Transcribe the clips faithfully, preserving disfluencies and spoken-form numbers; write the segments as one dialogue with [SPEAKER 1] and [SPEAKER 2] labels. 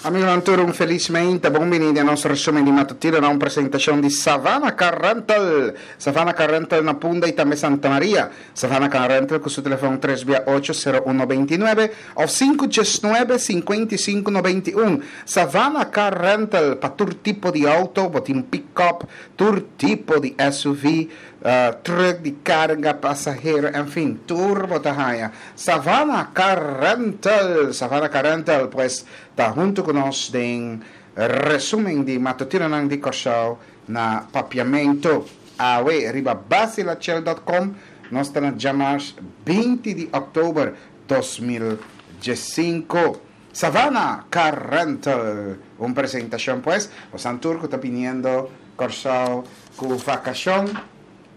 [SPEAKER 1] Amigonan tur, un felis mainta. Bon bini na nos resumen di matutino, na un presentacion di Savannah Car Rental. Savannah Car Rental na Punda y tambe Santa Maria. Savannah Car Rental cu su telefon tres ocho cero uno dos nuebe of cinco nuebe cinco cinco nueve uno. Savannah Car Rental pa tur tipo di auto, bo tin pick-up, tur tipo di S U V, uh, truck di carga, pasahero, en fin, tur bo ta haya. Savannah Car Rental, Savannah Car Rental, pues, ta hunto cu nos den resumen di matutino di Corsou na Papiamento. Awe, riba basilachel punto com, nos ta na diamars binti di october dos mil diescinco. Savannah Car Rental, un presentacion, pues, boso tur cu ta biniendo Corsou cu vacacion,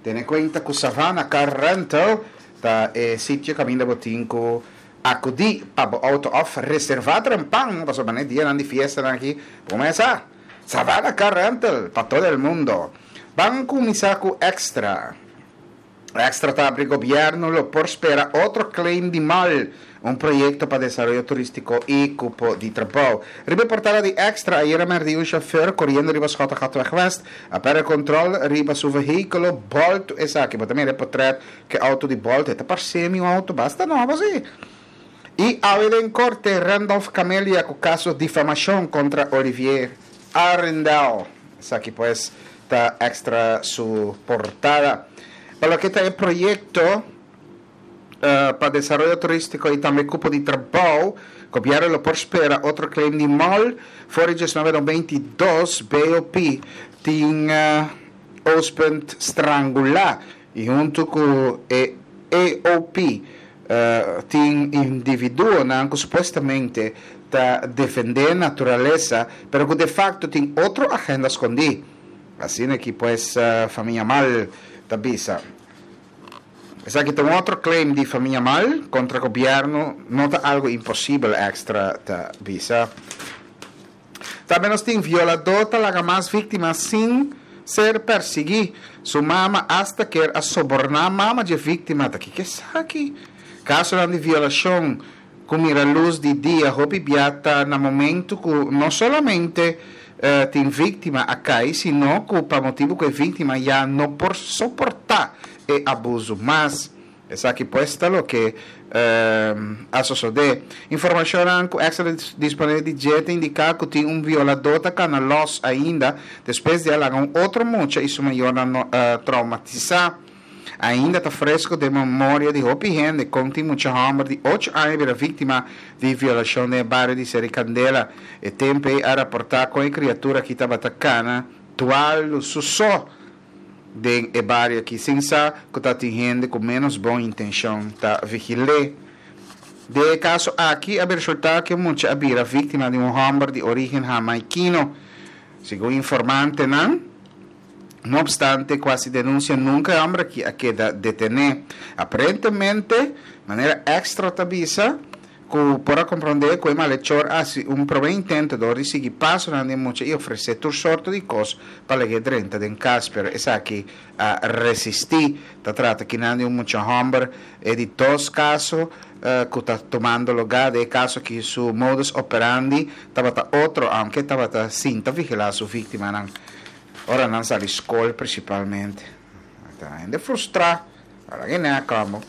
[SPEAKER 1] tene cuenta cu Savannah Car Rental ta e sitio caminda bo tin cu acudi pa auto of reserva trempan, pasobra e dia di fiesta aki, cuminsa. Savannah Car Rental pa todo el mundo. Ban cuminsa cu Extra. Extra ta habri: gobierno lo por spera otro claim di mall, un proyecto pa desaroyo turistico y cupo di trabou. Riba portada di Extra, ayera merdia un chauffeur coriendo riba Schottegatweg West, a perde control riba su vehiculo bolto esaki, bo tambe portret cu auto di bolto, ta parce un auto basta nobo asina. Y awe den corte, Randolph Camelia cu caso difamacion contra Olivier Arendel. Esaki, pues, ta Extra su portada. Pa loke ta e proyecto uh, pa desaroyo turistico y tambe cupo di trabou, gobierno lo por spera otro claim di mall. For di diesnuebe noventa i dos B O P tin uh, Oostpunt strangula y hunto cu E O P uh, tin individuonan cu supuestamente ta defende naturalesa, pero cu de facto tin otro agenda scondi. Asina cu, pues, uh, famia Mal ta bisa. Esaki tin otro claim di famia Mal contra gobierno, no ta algo imposibel, Extra ta bisa. Tambe nos tin: violador ta laga mas victima sin ser persigui. Su mama hasta kier a soborna mama di victima. Ta kico esaki? Caso di violacion cu mira luz di dia, hopi bia ta na momento cu no solamente uh, tin victima a cay, sino cu pa motibo cu e victima ya no por soporta e abuso mas. Esaki, pues, ta loke uh, a sucede. Informacion cu Extra disponibel di dje ta indica cu tin un violador ta cana los ainda despues di a laga un otro mucha y su mayor no, uh, traumatisa. Ainda ta fresco den memoria di hopi hende con tin mucha homber di ocho aña bira victima di violacion den bario di Seri Candela. E tempo a raporta cu e criatura cu tabata cana dual su so den e bario aki sin sa cu tin hende cu menos bon intencion ta vigil'e. Den e caso aki a resulta cu mucha a bira victima di un homber di origen hamaikino. Segun informantenan, no obstante casi denuncia, nunca e homber aki a keda deteni. Aparentemente, manera Extra ta bisa, cu por a comprende cu e malhechor a haci un prome intento di sigui paso di mucha y ofrece tur sorto di cos pa lag'e drenta den cas, pero esaki a resisti. Ta trata aki di un mucha homber, e di dos caso uh, cu ta tumando luga, den e caso cu su modus operandi tabata otro, aunke tabata sinta vigila su victimanan ora nan sali scol principalmente. Ta ainda frustra, ora cu no como.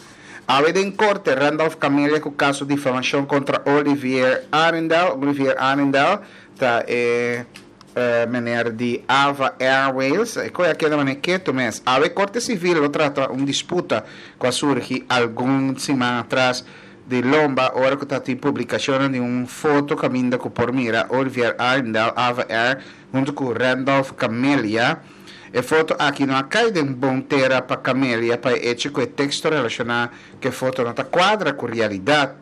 [SPEAKER 1] Awe den corte, Randolph Camelia cu caso difamacion contra Olivier Arendel. Olivier Arendel ta e eh, meneer di Ava Airways. E cos aki ta keto mes. Awe corte civil lo trata un disputa cu a surgi algun siman atras di lomba, ora cu ta tin publicacion di un foto caminda cu por mira Olivier Arendel, Ava Air, hunto cu Randolph Camelia. E foto aki no a cay den bon tera pa Camelia, pa hecho cu e texto relaciona cu e foto no ta cuadra cu realidad.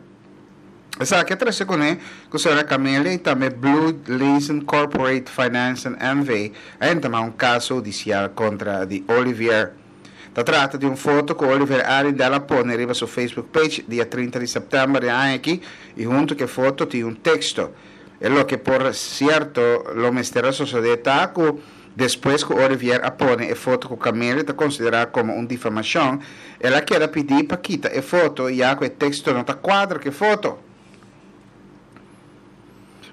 [SPEAKER 1] Esaki a trece cu ne, cu señora Camelia y tambe Blue Leeson Corporate Finance and N V a entama un caso hudicial contra di Olivier. Ta trata di un foto cu Olivier Arendel a pone riba su Facebook page dia trinta di september di aña aki y hunto cu e foto tin un texto. E loke por cierto lo mester a sucede ta cu despues cu Olivier a pone e foto cu Camelia ta considera como un difamacion, el a keda pidi pa kita e foto, ya cu e texto no ta cuadra cu e foto.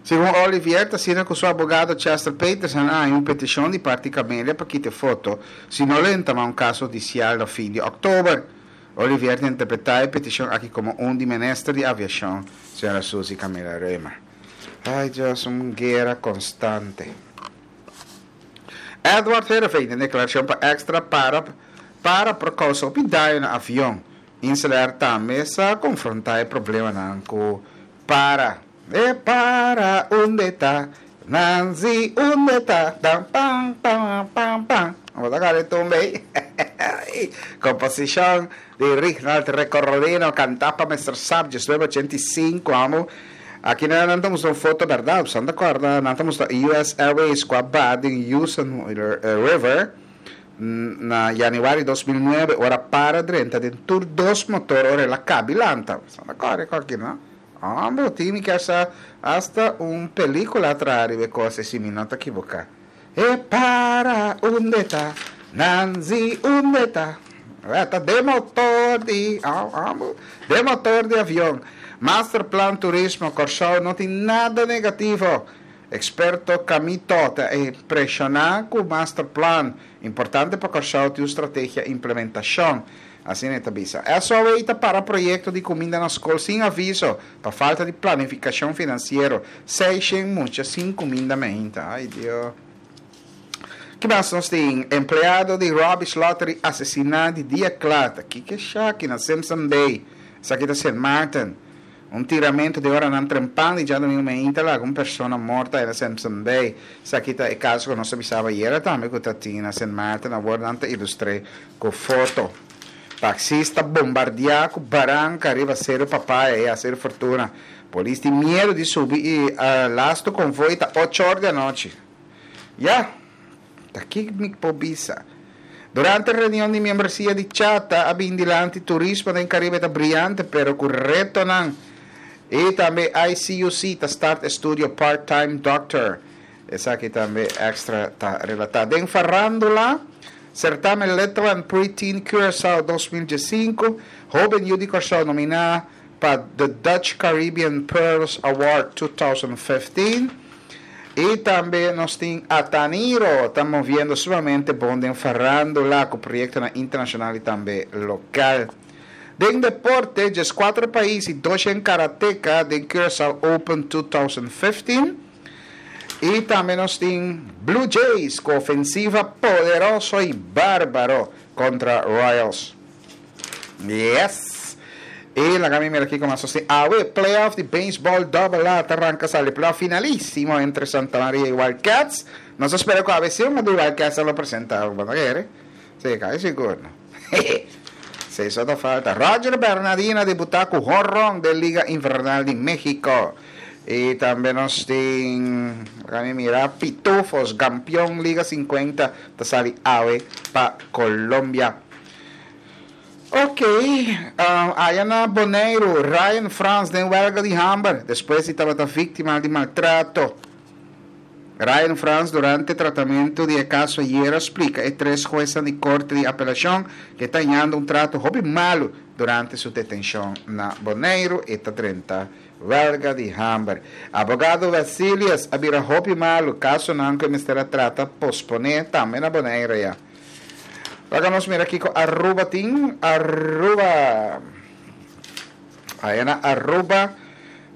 [SPEAKER 1] Segun Olivier, ta asina ku su abogado Chester Peterson a haña un petishon di parti Camelia pa kita e foto, si no lo entamá un kaso hudisial na fin di òktober. Olivier ta interpretá e petishon aki komo un di minister di aviashon, señora Suzy Camelia Römer. Ai Dios, un guera konstante. Edward Heerenveen den deklarashon pa Extra para para por kousa hopi daño na avion. InselAir tambe sa konfrontá e problemanan ku para. E para unda ta Nanzi unda ta dan pam pam pam pam. Bo ta kare tumba ei? Komposishon di Rignald Recordino kantá pa Mister Sap diesnuebe ochenta i sinku amo. Aki nan nan ta mustra un foto bèrdat? Bo ta kòrda nan ta mustra U S Airways ku a baha den Houston River na yanüari dos mil nuebe ora para drenta den tur dos motor ora el a kabi lanta. Bo ta kòrda e kòki aki no? Hombre, tin mi kier sa hasta un pelicula traha riba e cos ey si mi no ta equivoca. E para unda ta, Nanzi unda ta. Ta de motor di, hombre, de motor di avion. Masterplan Turismo Kòrsou no tin nada negativo. Experto Camito ta impresiona cu Masterplan importante pa Kòrsou tin un strategia implementacion. Asina e ta bisa. S O A ta para proyekto di kuminda na skol sin aviso pa falta di planifikashon finansiero. Seishen mucha sin kuminda meinta. Ai Dio. Ki mas nos tin? Empleado di Rubbish Lottery asesiná di dia kla. Ta kiko esaki na Simpson Bay? Esaki ta Sint Maarten. Un tiramento di oranan trempan di djadomingo meinta laga un persona morto na Simpson Bay. Esaki ta e kaso ku nos a bisaba ayera tambe ku ta tin na Sint Maarten. Awor nan ta ilustr'é ku foto. Taxista bombardiá ku baranka riba Seru Papaya i Seru Fortuna. Polis tin miedu di subi i lastu konvoi ta ocho or di anochi. Ya, ta ki mi por bisa. Durante reunion di miembresia di Chata a bin dilanti turismo den Karibe ta briante pero ku retonan. I tambe I C U C ta start estudio part-time doctor. Esaki tambe Extra ta relatá. Den farándula, certamen Little and Pre-Teen Curaçao dos mil diesinku, hoben yu di Kòrsou nominá pa The Dutch Caribbean Pearls Award two thousand fifteen. I tambe nos tin Ataniro ta moviendo sumamente bon den farándula ku proyektonan internashonal i tambe lokal. Den deporte, dieskuater pais i doshen karateka den Curaçao Open two thousand fifteen. I tambe nos tin Blue Jays ku ofensiva poderoso i bárbaro kontra Royals. Yes! I laga mi mira kiko mas nos tin. Awe, playoff di beisbòl Double A ta ranka sali playoff finalísimo entre Santa Maria i Wild Cats. Nos ta spera ku awe si un di Wild Cats a lo presenta. Bo ta kere? Sí, kai sigur no. Seis ota falta. Roger Bernadina debutá ku honron den Liga Invernal di Mexico. I tambe nos tin, laga mi mira, Pitufos, kampion Liga sinkuenta, ta sali awe pa Colombia. Ok, aya na Boneiru, Ryan Frans den welga di hamber, despues di tabata víktima di maltrato. Ryan Frans durante tratamentu di e kaso ayera splika e tres huesnan di korte di apelashon ku e ta hañando un trato hopi malu durante su detenshon na Boneiru. E ta drenta welga di hamber. Abogado Wesselius a bira hopi malu, kasonan ku e mester a trata posponé tambe na Boneiru ya. Laga nos mira kiko Aruba tin. Aruba. Aya na Aruba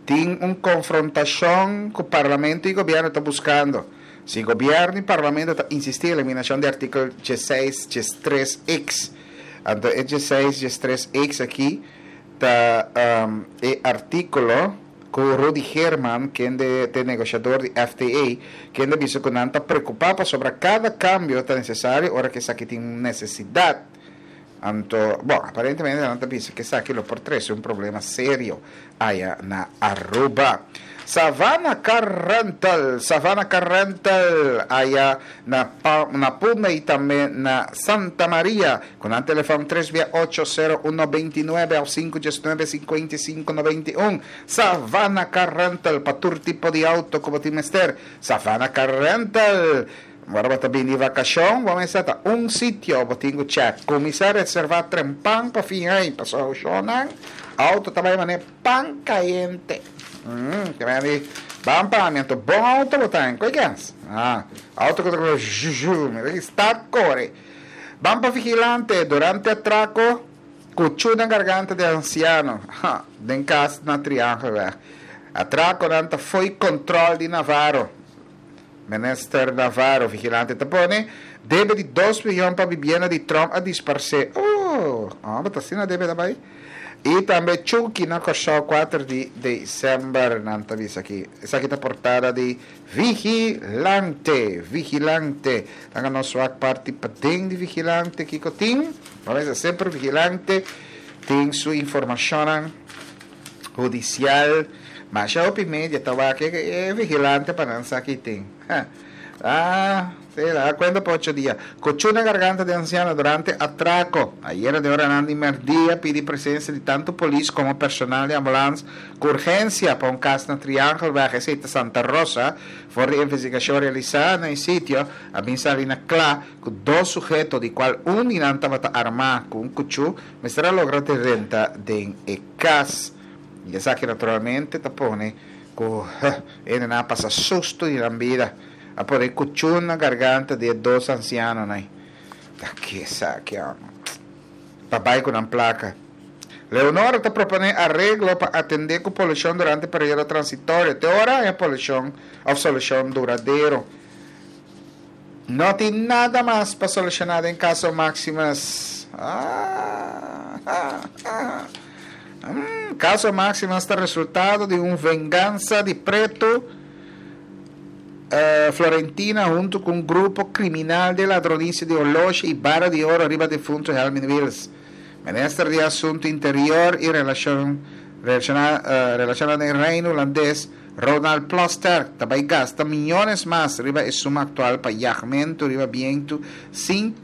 [SPEAKER 1] tin un konfrontashon ku parlamento i gobièrnu ta buskando. Si gobièrnu i parlamento ta insistí eliminashon di artíkulo diesseis diestres X. Anto e diesseis diestres X aki ta e artíkulo ku Rudy Geerman, kende ta e negoshador di F T A, kende a bisa ku nan ta preokupá pasobra kada kambio ta nesesario ora ku esaki tin un nesesidat. Anto, bon, aparentemente nan ta bisa ku esaki lo por trese un problema serio aya na Aruba. Savannah Car Rental, Savannah Car Rental aya na Pa, na Punda y tambe na Santa Maria, cu nan telefon tres bia ocho cero uno binti nuebe of cinco dies nuebe cincuenta y cinco noventa y un. Savannah Car Rental pa tur tipo di auto cu bo tin mester. Savannah Car Rental. Ora bo ta bini di vacacion, bo mester ta un sitio bo tin cu check. Cuminsa reserva trempan pa fin ay, pasobra shownan auto ta bay mane pan cayente. Mm, te bay di Ban pa mi, anto bon auto bo ta, koi kens? Ah, auto ku ta kore zhu, mi start kore. Ban pa Vigilante, durante atrako, kuchú den garganta di ansiano, ha, den kas na Triangelweg. Atrakonan ta fo'i kontrol di Navarro. Minister Navarro, Vigilante ta pone, debe di dos mion pa bibienda di Trump a disparsé. Oh, ah, ta asina debe daarbij. I tambe Chucky na Kòrsou kuater di desèmber, nan ta bisa aki. Esaki ta portada di Vigilante, Vigilante. Laga nos wak parti paden di Vigilante kiko tin. Pasobra semper Vigilante tin su informashon hudisial. Mas hopi media ta wak e Vigilante pa nan sa ki tin. Ah, sei lá, kuenta pa ocho dia. Kuchú na garganta di ansiano durante atrako. Ayera den oranan di mèrdia a pidi presensia di tantu polis komo personal di ambulans ku urgensia pa un kas na Triangelweg, esei ta Santa Rosa. For di investigashon realisá na e sitio, a bin sali na kla ku dos suheto, di kual un di nan tabata armá ku un kuchú, mester a logra drenta den e kas. I esaki naturalmente ta pone ku hendenan a pasa sustu di nan bida. A pone kuchú na garganta di e dos ansianonan. Ta ke esaki, amo? Pa bai ku nan plaka. Leonora ta proponé areglo pa atendé ku polushon durante periodo transitorio te ora haña polushon òf solushon duradero. No tin nada mas pa solushoná den kaso Maximus. Ah, ah, ah. Mm, kaso Maximus ta resultado di un vengansa di Pretu eh, Florentina huntu ku un grupo kriminal di ladronisia di oloshi i bara di oro riba defuntu Helmin Wiels. Minister di Asuntu Interior i Relashon Relashona eh, Relashona den Reino Hulandes, Ronald Plasterk, ta bai gasta miyones mas riba e suma aktual pa yagmentu riba bientu sin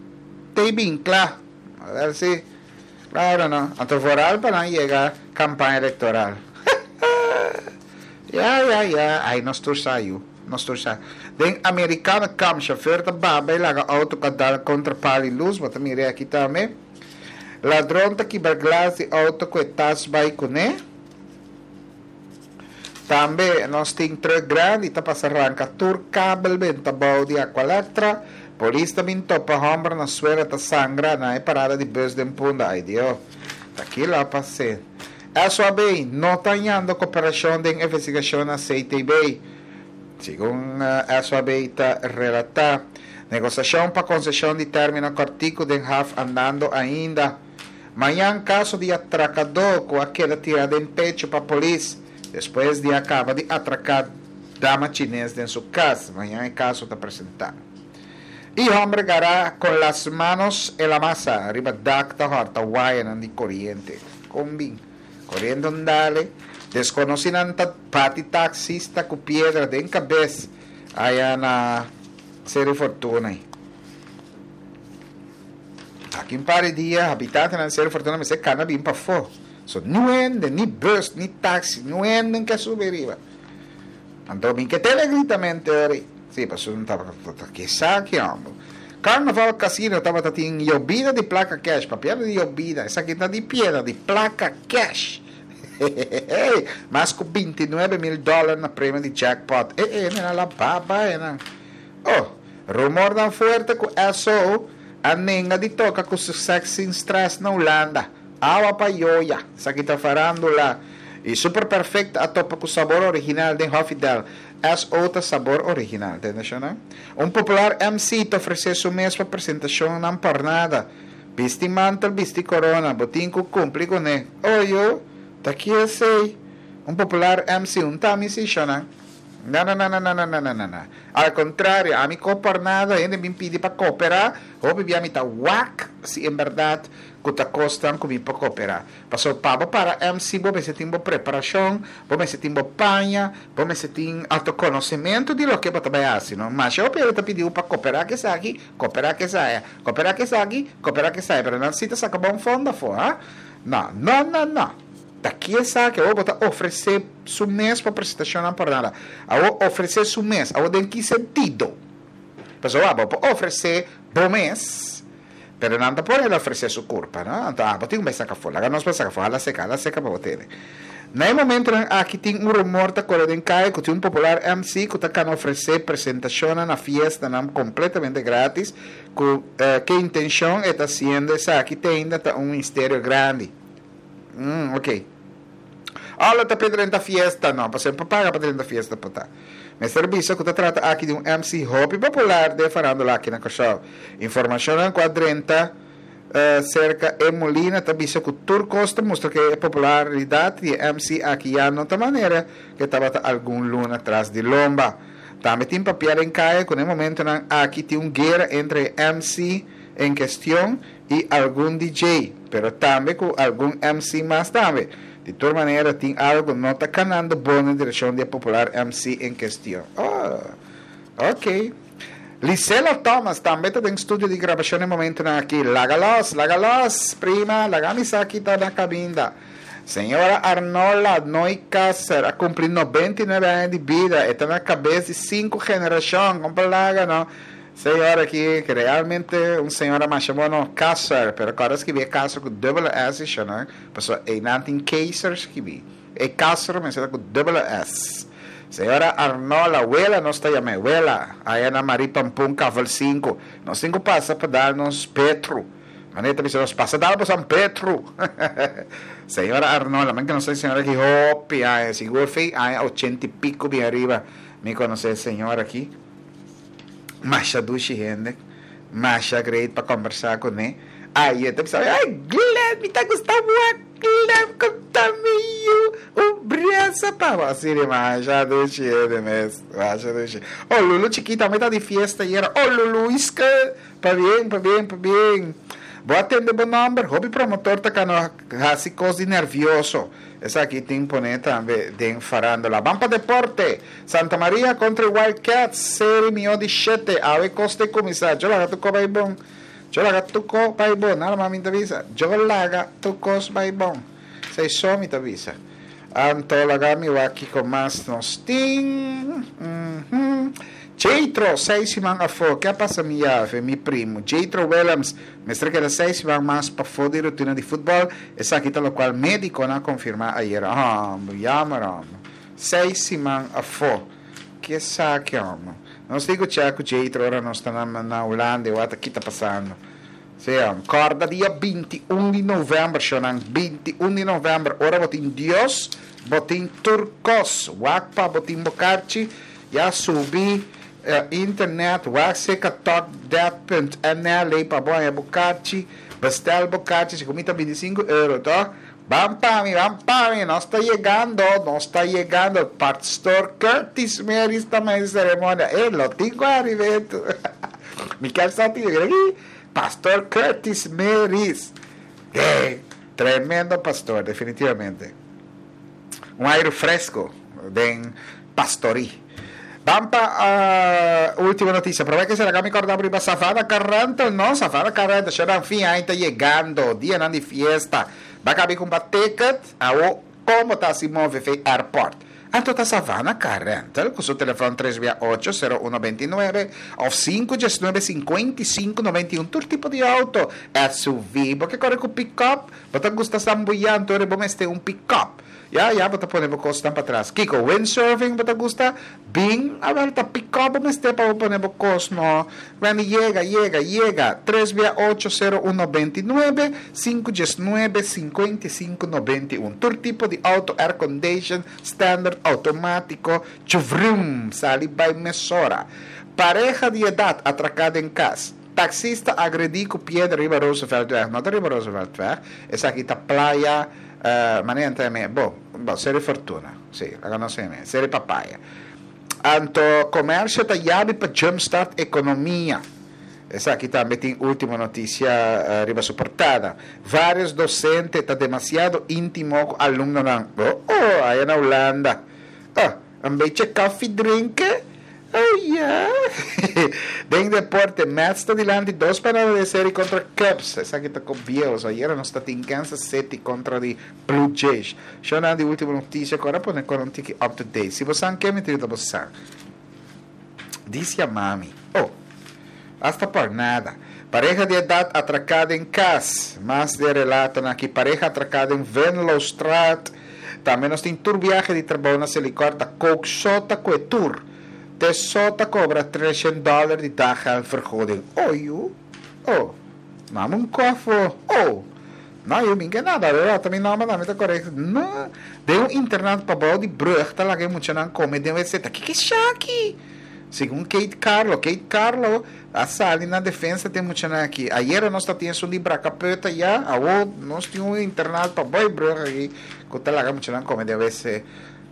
[SPEAKER 1] te bin kla. A ver si. Claro no. Anto vooral pa nan yega kampaña elektoral. Ya, ya, ya. Ai, nos tur sa yu. Nos tur sa. Den Americana Kamp, chauffeur ta baba i laga auto ka dal kontra pal di lus. Bo ta mira aki tambe. Ladron ta kibra glas di auto ku e tas bai kuné. Tambe nos tin truck grandi ta pasa ranka tur kabel benta bou di Aqualectra. Polis ta bin topa homber na suela ta sangra na e parada di bus den Punda. Ay Dio, ta kila a pas'é. S O A B no ta hañando koperashon den investigashon na C T B. Segun S O A B ta relatá, negosiashon pa konseshon di término kòrtiku den haf andando ainda. Mañan kaso di atrakadó ku a keda tirá den pechu pa polis despues di a kaba di atraká dama chines den su kas. Mañan e kaso ta presentá. I hòmber gará con las manos en la masa riba dak ta hòrta wayanan di koriente. Kon bin? Koriente un dale. Deskonosínan ta bati taksista ku piedra den kabes aya na Seru Fortuna. Aki un par di dia habitantenan di Seru Fortuna mester kana bin pafó. So niun hende, ni bus, ni taksi, niun hende ke subi riba. Anto mi ke tene gritamente ori. Sí, pasobra un tabata ke sa ki homber. Carnival Casino tabata tin yobida di plaka cash. Papia di yobida, esaki ta di piedra, di plaka cash. Mas ku binti nuebe mil dòler na premio di jackpot. Eh, eh, nena la baba, eh, nan. Oh, rumornan fuerte ku Esso a nenga di toka ku Sex Sin Stress na Hulanda. Awa pa yoya. Esaki ta farándula. I Super Perfect a topa ku sabor original den Hofidel. S O ta sabor original, tende shona? Un popular M C ta ofresé su mes pa presentashonnan pòrnada. Bisti mantel, bisti korona, bo tin ku kumpli kuné. Oyo, ta ki esei? Un popular M C, un ta mi si shona? Na na na na na na na na na na. Al kontrario, ami ko pòrnada, hende bin pidi pa kooperá, hopi bia mi ta wak si en bèrdat ku ta kosnan ku mi por kooperá. Pasobra pa bo para M C bo mester tin bo preparashon, bo mester tin bo paña, bo mester tin outokonosementu di loke bo ta bai hasi, no? Masha hopi hende ta pidi bo pa kooperá ku esaki, kooperá ku esaya, kooperá ku esaki, kooperá ku esaya, pero nan si ta saka bon fondo afó, ha? No, no, no, no. Ta ki esaki? Awor bo ta ofresé su mes pa presentashonnan por nada. Awor ofresé su mes, awor den ki sentido? Pasobra bo por ofresé bo mes, pero nan ta por el ofresé su kurpa, no? Anto abo tin ku bai saka afó. Laga nos bai saka afó. Hala seka, hala seka pa bo tene. Na e momentonan aki tin un rumor ta kore den kaya ku tin un popular M C ku ta kana ofresé presentashon na fiestanan kompletamente gratis. Ku eh, ki intenshon e ta hasiendo esaki te ainda ta un misterio grandi. Mm, ok. Ala ta pa fiesta, no, pa semper paga pa fiesta pa ta. Mester bisa ku ta trata aki di un M C hopi popular den farándula aki na Kòrsou. Informashon ku a drenta uh, serka e Molina ta bisa ku tur kos ta mustra ku e popularidat di M C aki ya no ta manera ku tabata algun luna tras di lomba. Tambe tin papiá den kaya ku na e momentonan aki tin un guera entre M C en kuestion i algun D J, pero tambe ku algun M C mas tambe. Di tur manera, tin algu no ta kanando bon den direkshon di popular M C en kuestion. Oh, ok. Lisela Thomas tambe ta den studio di grabashon na e momentonan aki. Laga los, laga los, prima, laga mi sa aki ta na kaminda. Señora Arnola Noikasser a kumpli nobenta i nuebe aña di bida. E ta na kabes di sinku generashon. Kon laga, no? Señora aki, ku realmente un señora mas bueno, Kasser, pero awor skirbi Kasser ku dubbel S, no? Pasobra e no tin Keizer skirbi. E Kasser, mas e ku dubbel S. Señora Arnola, wela nos ta yam'é, wela, aya na Marie Pampun, Kavel sinku. Nos tin ku pasa pa dal nos Petro. Maneta bisa nos pasa dal pa San Petro. Señora Arnola, man ku no sa señora aki hopi, ay, sigur fe, ay, ochenta i piku bin ariba. Mi konosé señora aki. Masha dushi hende. Masha great pa kombersá kuné. Ay, e ta ay, Glenn, mi ta gusta Glenn, konta mi un brasa pa asina, masha dushi hende mes. Masha dushi. Oh, Lulu chiquita, mi ta di fiesta ayera. Oh, Lulu, iske, pabien, pabien, pabien. Bo a tende bo nòmber, hopi promotor ta kana hasi kos di nervioso. Esaki tin pone tambe den farándula. Ban pa deporte. Santa Maria kontra Wildcats, seri mihó di shete. Awe kos ta kuminsá. Yo laga tur kos bai bon. Yo laga tur kos bai bon. Nada mas mi ta bisa. Yo laga tur kos bai bon. Esei so mi ta bisa. Anto laga mi wak kiko mas nos tin. Mm -hmm. Jethro, seis siman afó. Kiko a pasa mi yafe, mi primu? Jethro Williams, mester keda seis siman mas pafó di rutina di futbòl. Esaki ta loke médikonan a konfirmá ayera. Ah, jammer, ah. Seis siman afó. Ki esaki, homber? Nos digo check Jethro, ora nos ta na, na Hulanda, wat aki ta pasando. Si, kòrda dia binti un di novèmber, shonan, binti un di novèmber, ora bo tin Dios, bo tin tur kos, wak pa bo tin bo karchi, ya subi uh, internet, wak seka talkdead punt N L pa bo bo karchi, bestel bo karchi, si kumita bintisinku euro, to? Ban pa mi, ban pa mi, nos ta yegando, nos ta yegando. Pastor Curtis Meris ta na seremonia. Eh, lo tengo arriba. Mi sa aki, Pastor Curtis Meris. Eh, tremendo pastor, definitivamente. Un aire fresku den pastorie. Ban pa uh, último notisia. Promé ku será mi kòrda riba Savannah Car Rental, no? Savannah Car Rental, ya fin aña ta yegando, dia di fiesta. Bai kaba ku un ticket, awo kon ta si move airport. Anto ta Savannah Car Rental, ku su telefòn tres ocho, sero un dos nuebe òf sinku nuebe, sinku sinku nove un, tur tipo di outo, S U V, bo ke kore ku pick-up, bo ta gusta sambuyá, anto bo mester un pick-up. Ya, ya, bo ta pone bo kosnan patras. Kiko, windsurfing, bo ta gusta? Bin, awel ta pick-up mester pa pone bo kos, no. When yega, yega, yega. tres ocho, sero un dos nuebe, sinku nuebe, sinku sinku nove un. Tur tipo di outo, air condition, standard, outomátiko, chuvrum, sali bai mesora. Pareha di edat atraká den kas. Taksista agredí ku piedra riba Rooseveltweg. No riba Rooseveltweg. Esaki ta Playa, uh, manera tambe, bon, bon, Seri Fortuna. Si, awor no sei mes. Seri Papaya. Anto, komersio ta yabi pa jumpstart ekonomia. Esaki tambe tin último notisia uh, riba su portada. Varios dosente ta demasiado íntimo ku alumnonan. Oh, oh, aya na Hulanda. Oh, een beetje koffie drinken? Oh, yeah. Den deporte, Mets ta dilanti dos pa nada den serie kontra Cubs. Esaki ta ku bieu. So, ayera nos tin Kansas City kontra di Blue Jays. Shona di último notisia, awor pone ku un tiki up to date. Si bo ke mi ta bo Dice a mami. Oh, hasta por nada. Pareha di edat atraká den kas. Mas di relato aki. Pareha atraká den Venlostraat. Tambe nos tin tur biahe di trabou na Selikor ta Coke so ta kue tur. Te so ta kobra treshen dòler di daggeldvergoeding. Oh yu, oh, mama un kòfo, oh. No, yu, mi ke nada, beba, ta mi nòmber tambe ta korekto. No, den un internat pabou di brùg ta laga e muchanan kome den wc. Ta kiko esaki? Segun Kate Carlo, Kate Carlo a sali na defensa di e muchanan aki. Ayera nos ta tin esun di Brakapeuta ya, awo nos tin un internat pabou di brùg aki ku ta laga muchanan kome den wc.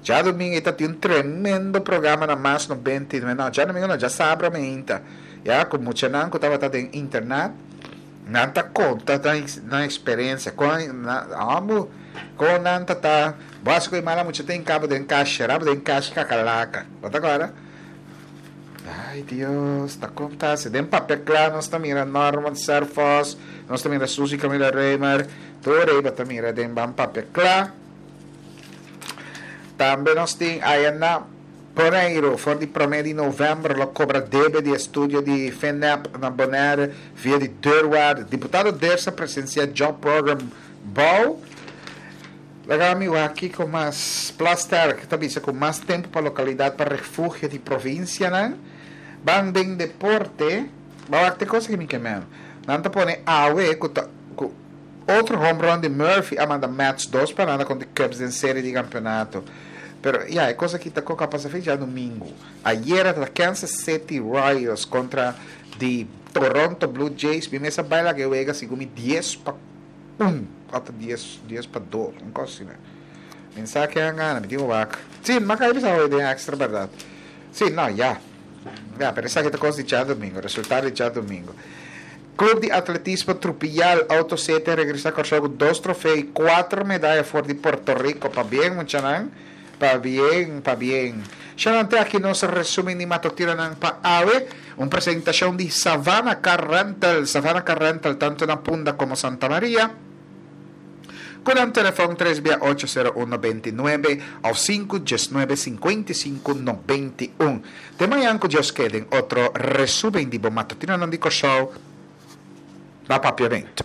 [SPEAKER 1] Djadumingu e ta tin un tremendo programa na Mas nobenta i nuebe, no, djadumingu no, djasabra meinta, ya ku muchanan ku tabata den internat, nan ta konta nan eksperensia, kon nan, amo, kon nan ta ta, bo hasi ku e mala mucha ta hinka bo den kasha, ra bo den kasha kakalaka, bo ta kòrda? Ay Dios, ta kon ta hasi? Den papia kla nos ta mira Norman Serphos, nos ta mira Suzy Camila Römer, tur ei bo ta mira den ban papia kla. Tambe nos tin aya na Boneiru, for di promé di novèmber lo kobra debe di estudio di FINEB na Bonaire via di deurwaarde. Diputado Ders a presensia Job Program Bou. Laga mi wak kiko mas. Plasterk ta bisa ku mas tempu pa lokalidat pa refugio di provinsianan. Ban den deporte. Ba wak te kos aki mi ke men. Nan ta pone awe ku ta ku otro home run di Murphy a manda Mets dos pa nada kontra Cubs den serie di kampeonato. Pero ya, e kos aki ta koka pasa fin djadumingu. Ayera ta Kansas City Royals kontra di Toronto Blue Jays. Mi mes a bai laga e wega segun mi dies pa un òf ta dies dies pa dos, un kos asina. Mi sa ken a gana, mi tin ku wak. Sí, mi a kai bisa hoy den extra bèrdat. Sí, no, ya. Ya, pero esaki ta kos di djadumingu, resultado di djadumingu. Club di Atletismo Trupial Auto City a regresa Kòrsou ku dos trofeo i kuater medaya for di Puerto Rico. Pabien muchanan, pabien, pabien. Shanan te aki nos resumen di matutinonan pa awe. Un presentashon di Savannah Car Rental, Savannah Car Rental tantu na Punda komo Santa Maria. Ku nan telefòn tres bia ocho sero un nobenta i nuebe òf sinku diesnuebe sinkuenta i sinku nobenta i un. Te mañan ku Dios ke den otro resumen di bo matutinonan di Kòrsou na Papiamentu.